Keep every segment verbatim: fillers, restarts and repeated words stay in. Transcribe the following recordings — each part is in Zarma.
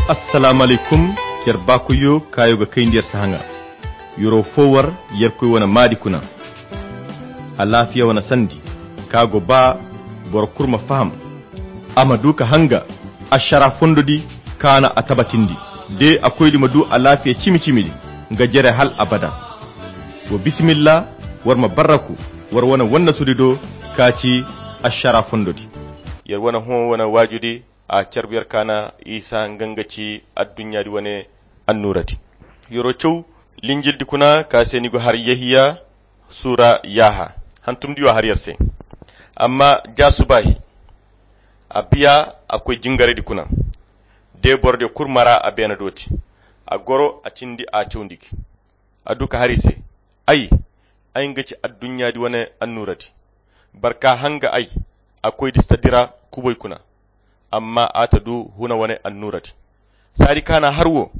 Assalaamu alaykum. Yer baakoyyo kaayo ga kayndi yer sahaŋa. Yero fo war yerkoy wane maadi kuna. Alaafiya wane sandi ka go ba boro kulu ma faham. A ma du ka hanga ašara fondo di kaana a tabatindi. De a koydi ma du alaafiya cimi-cimi di nga jere hal abada. Wo bisimilla, war ma barraku war wane wannasudi do ka ci ašara fondo di. Yer wane hõ wane waaju di a carbu yer kaana isa nga nga ci adduɲɲa di wane annuura di. Yero caw linjil di kuna ka se ni go har yehiya suura yaaha hantum di yo har yer se. Amma ja subaahi a biya a koy jingaray di kuna. De boro de kulu mara a beena dooti a goro a cindi a cawndi gi. A du ka har i se, ay ay nga ci adduɲɲa di wane annuura di. Barka hanga ay a koy di si ta dira kubay kuna. Amma a ta du huna wane annuura di. Saadi kaana har wo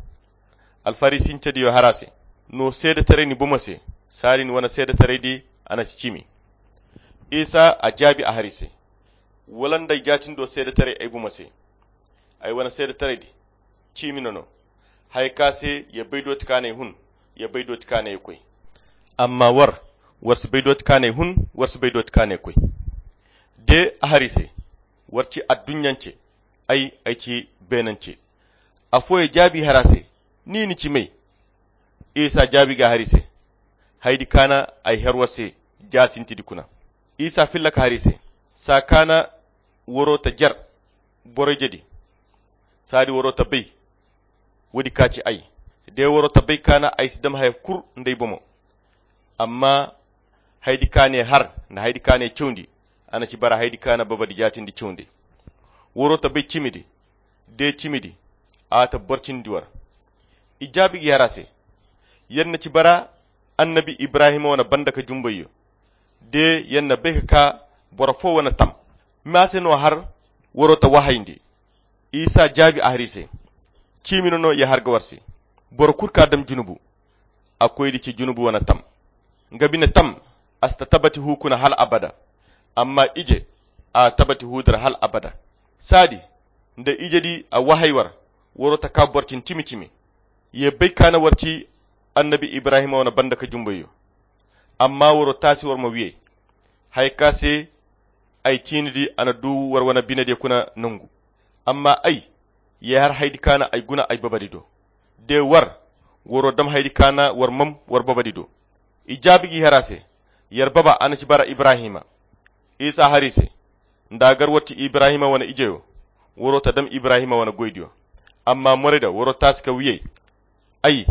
alfarisincediyo har a se, no seedetaray ni bomo se? Saadi ni wane seedetaray di a na ci ciimi. Isa a jaabi a har i se, wala nda ay jaatindo seedetaray ay bomo se? Ay wane seedetaray di ciimi no no. Haya ka se ya bay dooti kaanay hun, ya bay dooti kaanay koy. Amma war war si bay dooti kaanay hun, war si bay dooti kaanay koy. De a har i se, war ci adduɲɲance, ay ay ci beenance. Afooyaŋ jaabi har a se, ni ni ci may? Isa jaabi ga har i se, hayadi kaana ay har war se ja sinti di kuna. Isa filla ka har i se, saa kaana waro ta jer boroyje di. Saadi waro ta bay woodi ka ci ay. De waro ta bay kaana ay si dam haya kulu nda ay bomo. Amma hayadi kaanay har nda hayadi kaanay cawndi, a na ci bara hayadi kaana babadi jaatindi cawndi. Waro ta bay ciimi di, de ciimi di a ta boro cindi war. I jaabi ga i har a se, yer na ci bara annabi ibrahima wane banda ka jumbayyo. De yer na bay ka ka boro fo wane tam? Maa se no har waro ta wahayndi? Isa jaabi a har i se, ciimi no no ya har ga war se. Boro kulu ka dam junubu, a koy di ci junubu wane tam. Nga bine tam a si ta tabati hu kuna hal abada. Amma ije a tabati hu dira hal abada. Saadi nda ije di a wahay war, waro ta ka boro cine cimi-cimi. Ye bay kaana war ci annabi ibrahima wane banda ka jumbayyo. Amma waro taasi war ma wiyey. Haya ka se ay ciini di a na du war wane binediyo kuna nangu. Amma ay ye har hayadi kaana ay guna ay babadi do. De war waro dam hayadi kaana war mam war babadi do. I jaabi ga i har a se, yer baba a na ci bara ibrahima. Isa har i se, nda a gar war ci ibrahima wane ijeyo, waro ta dam ibrahima wane goydiyo. Amma morayda waro taasi ka wiyey. Ay,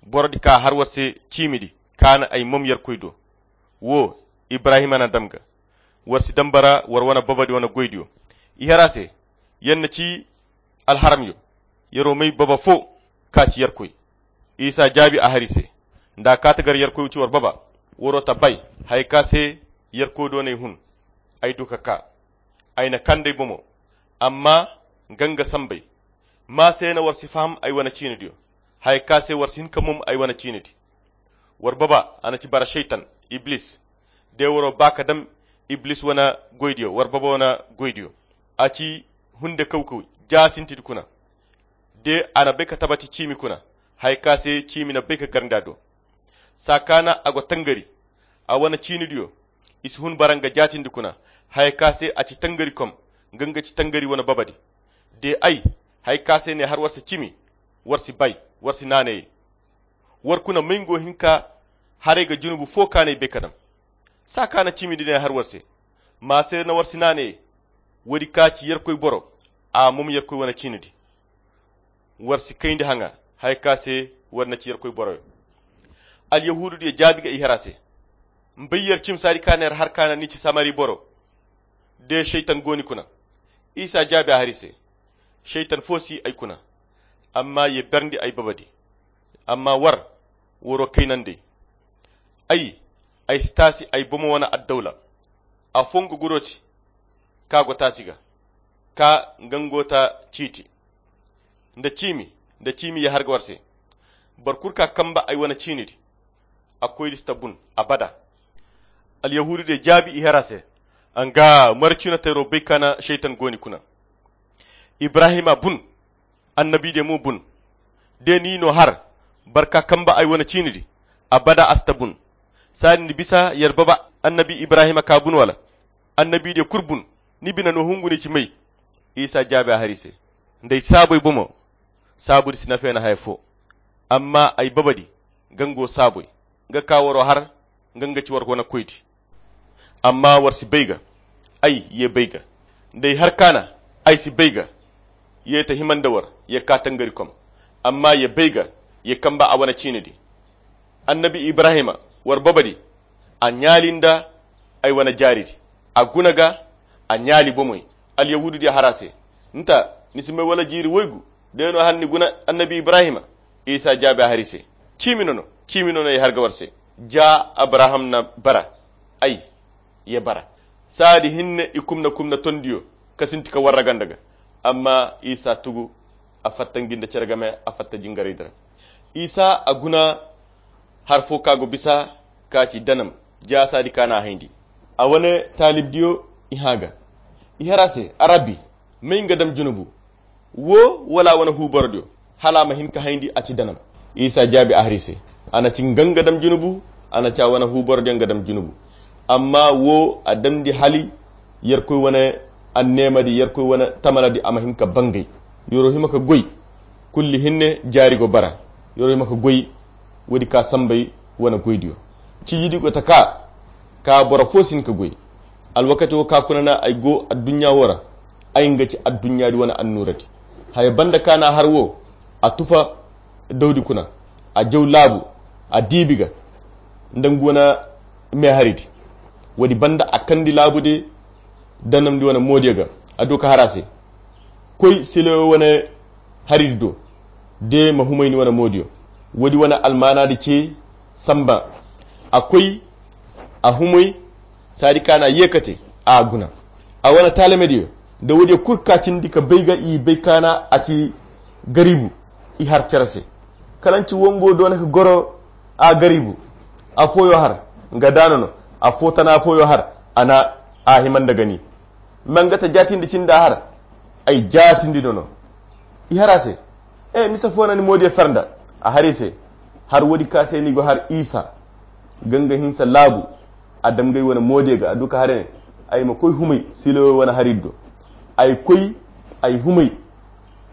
borodi ka har war se ciimi di kaana ay mom yerkoy do. Wo, ibrahima na dam ga. War si dam bara war wane babadi wane goydiyo. I har a se, yer na ci alharamyo. Yero may baba fo ka ci yerkoy. Isa jaabi a har i se, nda a ka ta gar yerkoy ci war baba, waro ta bay haya ka se yerkoy do n'ay hun. Ay du ka ka, ay na kand'ay bomo. Amma nga nga sambay. Maa se no war si faham ay wane ciinidiyo? Haya ka se war si hin ka mom ay wane ciinidi? War baba a na ci bara seytan, iblis. De waro ba ka dam iblis wane goydiyo war baba wane goydiyo. A ci hunde kawkaw ja sintidi kuna. De a na bay ka tabati ciimi kuna, haya ka se ciimi na bay ka gar nda do. Saa kaana a go tangari, a wane ciinidiyo i si hun bara nga jaatindi kuna. Haya ka se a ci tangari kom, nga nga ci tangari wane babadi. De ay, haya ka se n'ay har war se ciimi, war si bay, war si naanayey. War kuna may nga go hin ka haray ga junubu fo kaanay bay ka dam? Saa kaana ciimi di n'ay har war se, maa se na war si naanayey. Woodi ka ci yerkoy boro, a mom yerkoy wane ciinidi. War si kayndi haŋa haya ka se war na ci yerkoy boroyo. Alyahuududiyo jaabi ga i har a se, m'bay yer cim saadi kaana yer har kaana ni ci samari boro. De seytan go ni kuna? Isa jaabi a har i se, seytan fo si ay kuna. Amma ye berndi ay babadi. Amma war, waro kaynandey. Ay, ay si taasi ay bomo wane addawla. Afo nga guro ti, ka go taasi ga, ka nga nga go ta ciiti. Nda ciimi, nda ciimi ye har ga war se. Boro kulu ka kamba ay wane ciinidi, a koydi si ta bun abada. Alyahuududiyo jaabi i har a se, a nga mara ciino tayro bay kaana seytan go ni kuna? Ibrahima bun Annabi de mo bun. De ni no har barka kamba ay wane ciini di, abada a si ta bun. Saadi ni bisa yer baba annabi Ibrahima ka bun wala? Annabi de kul bun. Ni bina no hungu ni ci may? Isa jaabi a hari se, nda ay saaboy bomo, saabu di si nafeena haya fo. Amma ay baba di, nga nga go saaboy, nga ka waro har, nga nga ci war wane koy di. Amma war si bay ga, ay ye bay ga. Nda ay har kaana, ay si bay ga. Ye ta hima nda war ye ka tangari kom. Amma ye bay ga, ye kamba a wane ciine di. Annabi Ibrahima, war baba di, a ɲaali nda ay wane jaari di. A guna ga, a ɲaali bomoy. Alyahuudu di har a se, nta, ni si may wala jiiri woygu? De no han ni guna annabi Ibrahima? Isa jaabi a hari se, ciimi no no, ciimi no no ye har ga war se. Ja abraham na bara, ay ye bara. Saadi hinne i kumna kumna tondiyo ka sinti ka warra ganda ga. Amma isa tugu, a fatta ngi nda cere game, a fatta jingaray dira. Isa a guna har fo ka go bisa ka ci danam. Ja saadi ka na a hayndi, a wane taalibdiyo i hã ga, i har a se, a rabbi, may nga dam junubu, wo wala a wane huuborodiyo, hala a ma hin ka hayndi a ci danam? Isa jaabi a hari se, a na ci nga nga dam junubu, a na ci a wane huuborodiyo nga dam junubu. Amma wo a damndi hali yerkoy wane anneemadi, yerkoy wane tamaladi a ma hin ka bangay. Yoro hima ka goy, kulli hinne jaari go bara. Yoro hima ka goy, woodi ka sambay wane goydiyo. Ciijidi go ta ka, ka boro fo si hin ka goy. Alwakati wo ka kuna na ay go adduɲɲa wo ra, ay nga ci adduɲɲa di wane annuura di. Haya banda ka na har wo, a tufa dawdi kuna, a jaw laabu, a diibi ga nda nga wane meehari di. Woodi banda a kandi laabu de danamdi wane moodiyo ga, a du ka har a se, koy silayo wane hari di do, de ma humay ni wane moodiyo. Woodi wane almaana di ce samba. A koy, a humay, saadi ka na ye ka te, a guna. A wane taalamediyo nda woodiyo kul ka cindi ka bay ga i bay ka na a ci gariibu, i har cere se. Kala nci wongo doona ka goro a gariibu. Afooyo har, nga daana no. Afoo tana afooyo har, a na a hima nda gani. Ma nga ta jaatindi cindi a har, ay jaatindi no no. I har a se, e, misa fo no ni moodiyo fer nda? A har i se, har woodi ka se ni go har isa, ganga hinsa laabu. A dam gay wane moodiyo ga, a du ka har ne, ay ma koy humay silayo wane hari di do. Ay koy, ay humay,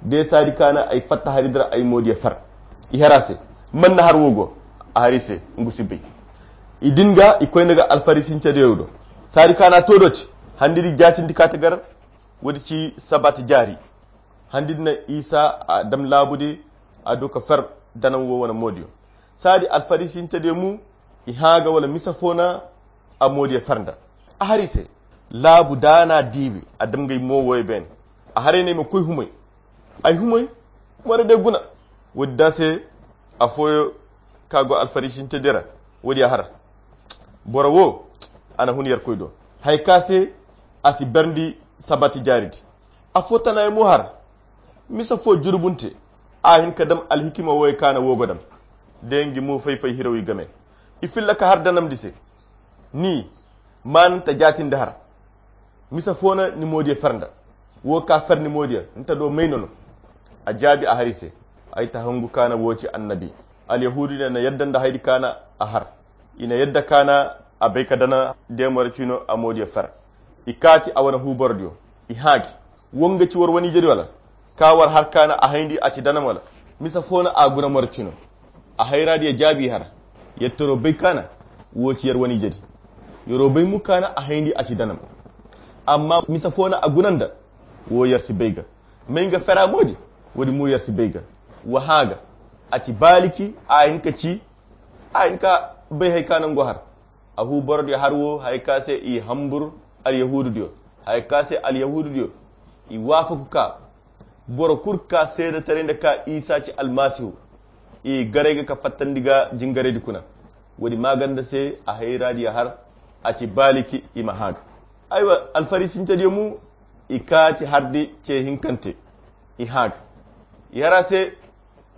de saadi ka na ay fatta hari di ra ay moodiyo fer. I har a se, man na har wo go? A har i se, ngu si bay. I din ga, i koy nda ga alfarisincediyo do. Saadi ka na to do ci, handi di jaatindi ka ta gar. Woodi ci sabat jaari. Handi di na isa a dam laabu di, a du ka fer danam wo wane moodiyo. Saadi alfarisincediyo mu, i hã ga wala misa fo na a moodiyo fer nda? A har i se, laabu daana diibi, a dam gay mo woyo beene. A har ay ne ay ma koy humay. Ay humay, mora de guna. Woodi da se, afooyo ka go alfarisincediyo ra, woodi a har. Boro wo, a na hun yerkoy do, haya ka se a si berndi sabat jaari di. Afoo tana ay mo har, misa fo jurubunte, a hin ka dam alhikima woyo ka na wo go dam, de ngi mo fay-fay hiraw i game. I filla ka har danamdi se, ni, ma ni ta jaatindi har. Misa fo na ni moodiyo fer nda? Wo ka fer ni moodiyo, ni ta do may no no? A jaabi a har i se, ay ta hangu ka na wo ci annabi. Alyahuudu ne na yadda nda haydi ka na a har. I na yadda ka na a bay ka dana deemora ciino a moodiyo fer. I kaati a wane huuborodiyo, i hã gi. Wo nga ci war wane ijedi wala? Ka war har ka na a hayndi a ci danam wala? Misa fo na a guna mora ciino? A hayraadiyo jaabi har. Yer toro bay ka na wo ci yer wane ijedi. Yero bay mu ka na a hayndi a ci danam. Amma misa fo na a guna nda? Wo yer si bay ga. May nga fera moodi? Woodi mo yer si bay ga. Wa hã ga. A ci baaliki, a hin ka ci, a hin ka bay hay ka nango har. A huuborodiyo har wo, hay ka se i hambur alyahuududiyo. Hay ka se alyahuududiyo i waafaku ka boro kul ka seedetaray nda ka isa ci almasihu, i garay ga ka fattandi ga jingaraydi kuna. Woodi maaganda se a hayraadiyo har, a ci baaliki i ma hã ga. Aywa, alfarisincediyo mu, i kaati hardi ce hinkante, i hã ga. I har a se,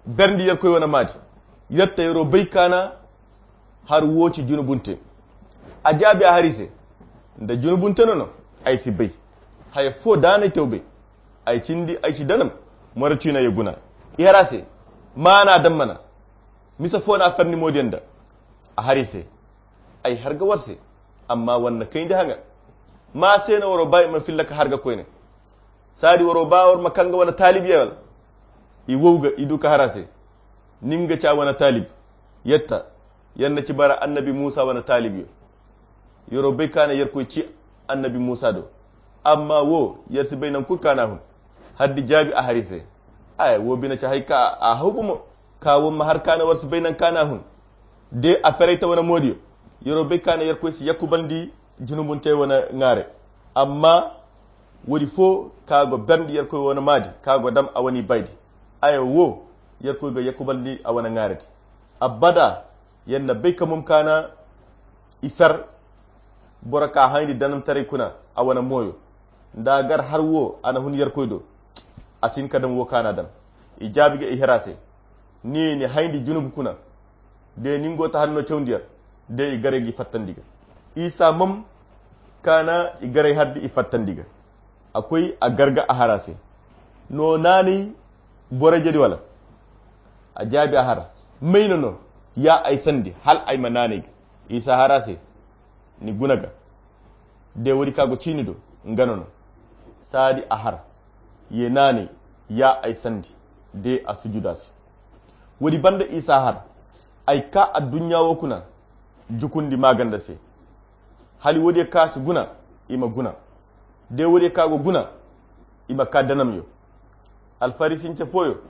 berndi yerkoy wane maadi. Yer ta yero bay ka na har wo ci junubunte? A jaabi a har i se, nda junubunte no no, ay si bay. Haya fo daanay tew bay. Ay cindi ay ci danam. Moro ciina ye guna. I har a se. Maana dammana. Misa fo na a farni moodiyaŋ da. A har i se. Ay har ga war se. Amma war na kayndi haŋa. Ma se no waro ba i ma filla ka har ga koyne. Saadi waro ba war ma kaŋ ga wane taalib ye wala? I wow ga i du ka har a se. Nin ga ca wane taalib. Yatta. Yar na ci bara annabi muusa wane taalib yo. Yaro bay ka na yarkoy ci annabi muusa do. Amma wo yar si bay naŋ kulu ka na hun. Haddi jaabi a hari se. Ay wo bine ci hay ka a haw gumo. Ka wo ma har ka na war si bay naŋ ka na hun. De a feray ta wane moodiyo. Yaro bay ka na yarkoy si yakkubandi junubunte wane ŋaare. Amma wodi fo ka go berndi yarkoy wane maadi ka go dam a wane baydi. Ay wo yarkoy ga yakkubandi a wane ŋaare di. Abada. Yar na bay ka mum ka na i fer. Boro ka hayndi danamtaray kuna a wane mooyo. Nda gar har wo a na hun yarkoy do. A si hin ka dam wo ka na dam. I jaabi ga i hera se. Ni ni hayndi junub kuna. De nin go ta hanno cawndi yar. De i garay ga i fattandi ga. Isa mum ka na i garay haddi i fattandi ga. A koy a gar ga a har a se. No naanay boro jedi wala? A jaabi a har. Mayno no ya ay sandi hal ay ma naanay ga? Isa har a se. Ni guna ga. De wodi ka go ciini do. Nga no no. Saadi a har. Ye naanay ya ay sandi. De a sujuda se. Wodi banda isa har. Ay ka adduɲɲa wo kuna. Jukundi maganda se. Hali wodi ka si guna. I ma guna. De wodi ka go guna. I ma ka danamyo. Alfarisince fooyo.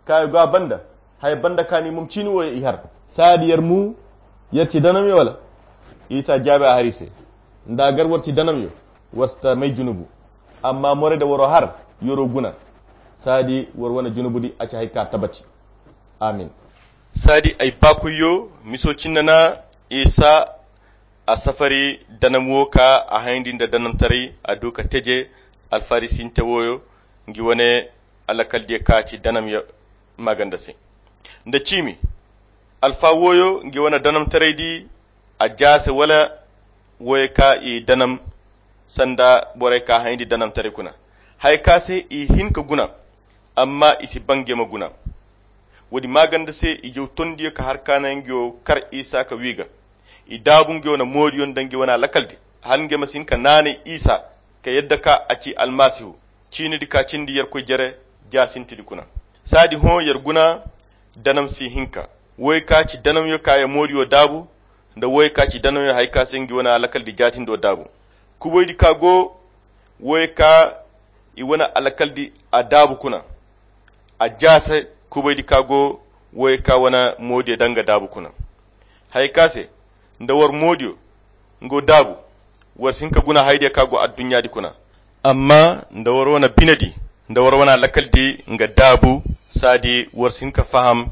Kaayo ga a banda. Haya banda ka ni mum ciini wo i har. Saadi yar mu yar ci danamyo wala? Isa jaabi a hari se. Nda gar war ci danamyo. War si ta may junubu. Amma more da waro har yaro guna. Saadi war wane junubu di a ci hay ka tabati. Amin. Saadi ay baakuyyo miso cinna na isa. A safari danam wo ka a hayndi nda danamtaray a du ka teje alfarisinte woyo ngi wane alakaldiyo ka ci danam ya maganda se. Nda ciimi alfa woyo ngi wane danamtaray di a jaase wala woyo ka i danam sanda borey ka hayndi danamtaray kuna hay ka se i hin ka guna. Amma i si ba nge ma guna. Wodi maganda se i jaw tondiyo ka har ka na ngeyo kar isa ka wi ga. I daabu ngeyo na moodiyo nda nge wana lakaldi hal nge ma si hin ka naanay isa ka yadda ka a ci almasihu. Ciinidi ka cindi yarkoy jere jaasintidi kuna. Saadi hõ yar guna danam si hinka woy ka ci danamyo ka ya moodiyo daabu nda woy ka ci danamyo hay ka se nge wana lakaldi jaatindo daabu. Kuboydi ka go woy ka i wane alakaldi a daabu kuna. A jaase kubaydi ka go woy ka wane moodiyo danga daabu kuna. Hay ka se nda war moodiyo ngo daabu war si hin ka guna haydiyo ka go adduɲɲaadi kuna. Amma nda war wane binedi nda war wane alakaldi nga daabu saadi war si hin ka faham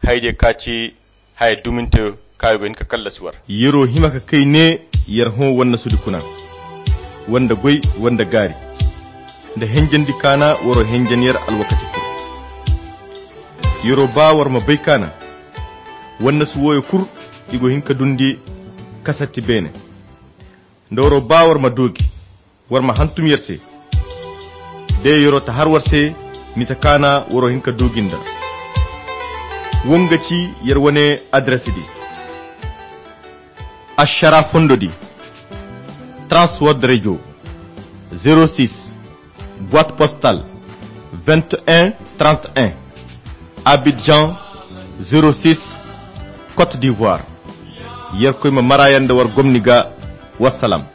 haydiyo ka ci haya duminte kayo ga hin ka kallasi war. Yero hima ka kay ne yer hõ wanda sudi kuna wanda goy wanda gaari nda henjandi kaana waro henjan yer alwakati kul. Yero ba war ma bay kaana wanda su woyo kul i go hin ka dundi kasatti beene nda waro ba war ma doogi war ma hantum yer se. De yero ta har war se misa kaana waro hin ka duugi nda. Wo nga ci yer wane adres di. Ashara fondo di. Transworld radio. Zero six boîte postale vingt et un trente et un. Abidjan. Zero six. Côte d'ivoire. Yer koy ma marayanda war gomni ga. Wassalam.